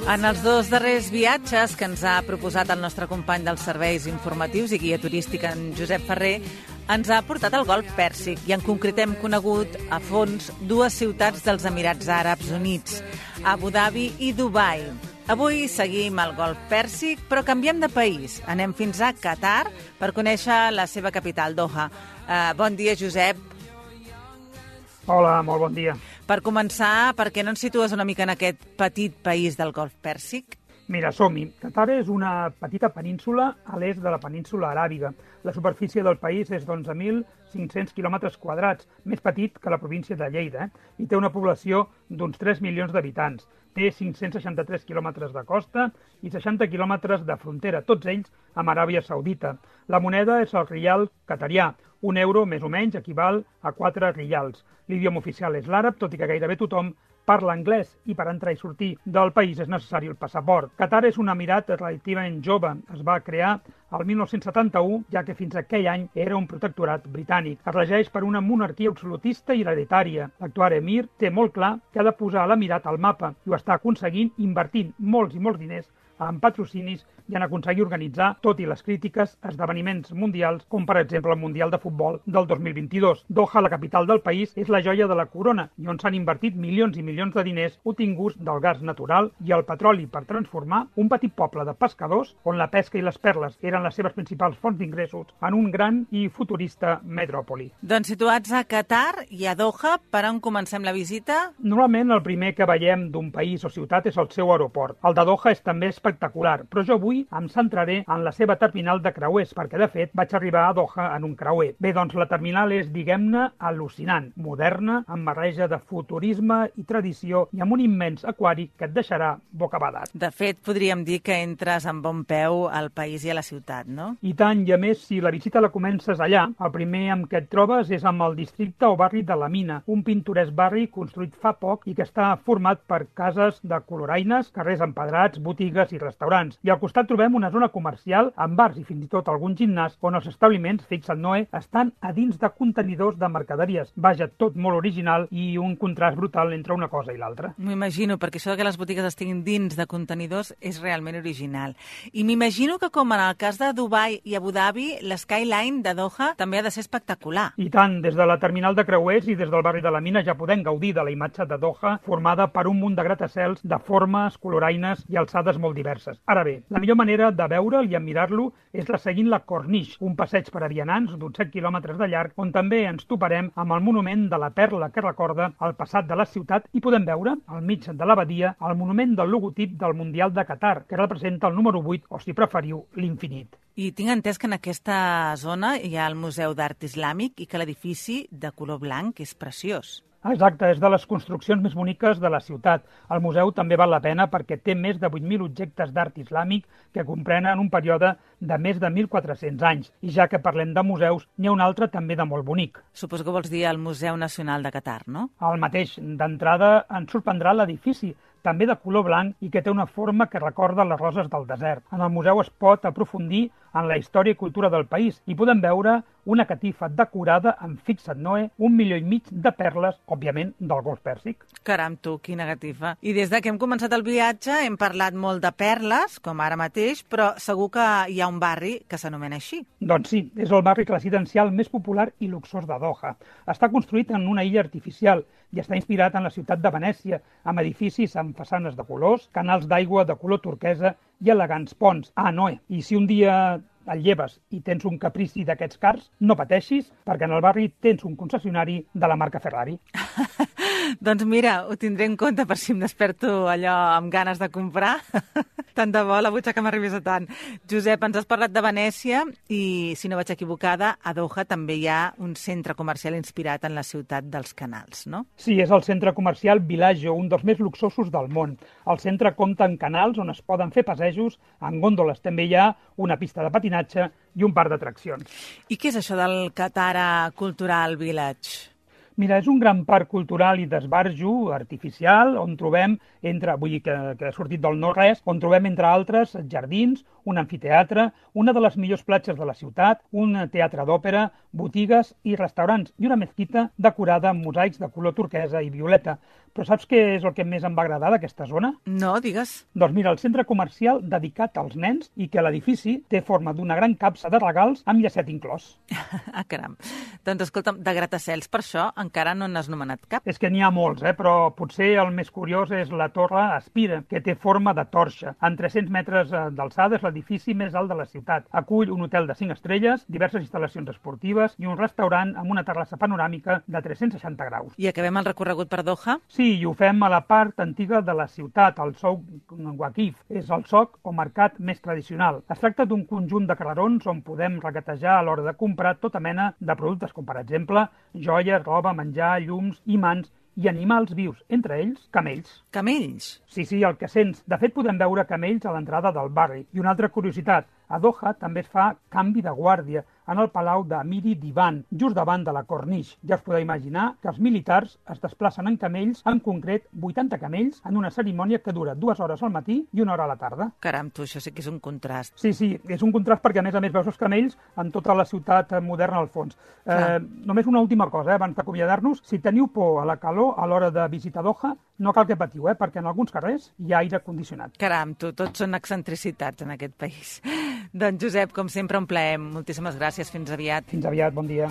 En els dos darrers viatges que ens ha proposat el nostre company dels serveis informatius i guia turístic, en Josep Ferrer, ens ha portat al Golf Pèrsic i en concret hem conegut a fons dues ciutats dels Emirats Àrabs Units, Abu Dhabi i Dubai. Avui seguim al Golf Pèrsic, però canviem de país. Anem fins a Qatar per conèixer la seva capital, Doha. Bon dia, Josep. Hola, molt bon dia. Per començar, per què no ens situes una mica en aquest petit país del Golf Pèrsic? Mira, som-hi. Qatar és una petita península a l'est de la península aràbiga. La superfície del país és d'11.500 quilòmetres quadrats, més petit que la província de Lleida, i té una població d'uns 3 milions d'habitants. Té 563 quilòmetres de costa i 60 quilòmetres de frontera, tots ells amb Aràbia Saudita. La moneda és el rial qatarià. Un euro, més o menys, equival a 4 rials. L'idioma oficial és l'àrab, tot i que gairebé tothom parla anglès i per entrar i sortir del país és necessari el passaport. Qatar és un emirat relativament jove. Es va crear el 1971, ja que fins a aquell any era un protectorat britànic. Es regeix per una monarquia absolutista i hereditària. L'actual emir té molt clar que ha de posar l'emirat al mapa i ho està aconseguint invertint molts i molts diners en patrocinis i en aconseguir organitzar, tot i les crítiques, esdeveniments mundials, com per exemple el Mundial de Futbol del 2022. Doha, la capital del país, és la joia de la corona i on s'han invertit milions i milions de diners obtinguts del gas natural i el petroli per transformar un petit poble de pescadors on la pesca i les perles eren les seves principals fonts d'ingressos en un gran i futurista metròpoli. Doncs situats a Qatar i a Doha, per on comencem la visita? Normalment el primer que veiem d'un país o ciutat és el seu aeroport. El de Doha és també espectacular, però jo avui em centraré en la seva terminal de creuers, perquè de fet vaig arribar a Doha en un creuer. Bé, doncs la terminal és, diguem-ne, al·lucinant, moderna, amb barreja de futurisme i tradició i amb un immens aquari que et deixarà bocabadat. De fet, podríem dir que entres amb bon peu al país i a la ciutat, no? I tant, i a més, si la visita la comences allà, el primer amb què et trobes és amb el districte o barri de la Mina, un pintoresc barri construït fa poc i que està format per cases de coloraines, carrers empedrats, botigues i restaurants. I al costat trobem una zona comercial amb bars i fins i tot algun gimnàs on els establiments, fixa't Noé, estan a dins de contenidors de mercaderies. Vaja, tot molt original i un contrast brutal entre una cosa i l'altra. M'ho imagino, perquè això que les botigues estiguin dins de contenidors és realment original. I m'imagino que, com en el cas de Dubai i Abu Dhabi, l'Skyline de Doha també ha de ser espectacular. I tant, des de la terminal de creuers i des del barri de la Mina ja podem gaudir de la imatge de Doha formada per un munt de gratacels de formes, coloraines i alçades molt diverses. Ara bé, la millor manera de veure'l i admirar-lo és la seguint la Corniche, un passeig per a vianants d'uns 7 quilòmetres de llarg, on també ens toparem amb el monument de la perla que recorda el passat de la ciutat i podem veure, al mig de l'abadia, el monument del logotip del Mundial de Qatar, que representa el número 8, o si preferiu, l'infinit. I tinc entès que en aquesta zona hi ha el Museu d'Art Islàmic i que l'edifici de color blanc és preciós. Exacte, és de les construccions més boniques de la ciutat. El museu també val la pena perquè té més de 8.000 objectes d'art islàmic que comprenen un període de més de 1.400 anys. I ja que parlem de museus, n'hi ha un altre també de molt bonic. Suposo que vols dir el Museu Nacional de Qatar, no? El mateix. D'entrada ens sorprendrà l'edifici, també de color blanc i que té una forma que recorda les roses del desert. En el museu es pot aprofundir en la història i cultura del país i podem veure una catifa decorada amb, fixa't Noé, 1,5 milió de perles, òbviament, del Golf Pèrsic. Caram, tu, quina catifa. I des que hem començat el viatge hem parlat molt de perles, com ara mateix, però segur que hi ha un barri que s'anomena així. Doncs sí, és el barri residencial més popular i luxós de Doha. Està construït en una illa artificial i està inspirat en la ciutat de Venècia, amb edificis amb façanes de colors, canals d'aigua de color turquesa i elegants ponts. Ah, Noé, i si un dia el lleves i tens un caprici d'aquests cars, no pateixis, perquè en el barri tens un concessionari de la marca Ferrari. Doncs mira, ho tindré en compte per si em desperto allò amb ganes de comprar. Tant de bo la butxaca m'arribés a tant. Josep, ens has parlat de Venècia i, si no vaig equivocada, a Doha també hi ha un centre comercial inspirat en la ciutat dels canals, no? Sí, és el centre comercial Villaggio, un dels més luxosos del món. El centre compta amb canals on es poden fer passejos, en gòndoles també hi ha una pista de patinatge i un parc d'atraccions. I què és això del Qatar Cultural Village? Mira, és un gran parc cultural i d'esbarjo artificial on trobem, vull dir que ha sortit del no-res, on trobem, entre altres, jardins, un amfiteatre, una de les millors platges de la ciutat, un teatre d'òpera, botigues i restaurants i una mesquita decorada amb mosaics de color turquesa i violeta. Però saps què és el que més em va agradar d'aquesta zona? No, digues. Doncs mira, el centre comercial dedicat als nens i que l'edifici té forma d'una gran capsa de regals amb llacet inclòs. Ah, caram. Doncs escolta'm, de gratacels per això encara no n'has nomenat cap. És que n'hi ha molts, però potser el més curiós és la Torre Espira, que té forma de torxa. En 300 metres d'alçada és l'edifici més alt de la ciutat. Acull un hotel de 5 estrelles, diverses instal·lacions esportives i un restaurant amb una terrassa panoràmica de 360 graus. I acabem el recorregut per Doha? Sí, i ho fem a la part antiga de la ciutat, el Souk Waqif. És el soc o mercat més tradicional. Es tracta d'un conjunt de carrerons on podem regatejar a l'hora de comprar tota mena de productes, com per exemple joies, roba, menjar, llums, imants i animals vius, entre ells camells. Camells? Sí, el que sents. De fet, podem veure camells a l'entrada del barri. I una altra curiositat, a Doha també es fa canvi de guàrdia en el palau d'Amiri Divan, just davant de la Corniche. Ja us podeu imaginar que els militars es desplacen en camells, en concret 80 camells, en una cerimònia que dura 2 hores al matí i 1 hora a la tarda. Caram, tu, això sí que és un contrast. Sí, és un contrast perquè a més veus els camells en tota la ciutat moderna al fons. Només una última cosa, abans d'acomiadar-nos. Si teniu por a la calor a l'hora de visitar Doha, no cal que patiu, perquè en alguns carrers hi ha aire condicionat. Caram, tu, tots són excentricitats en aquest país. Doncs, Josep, com sempre, un plaer. Moltíssimes gràcies. Fins aviat. Fins aviat, bon dia.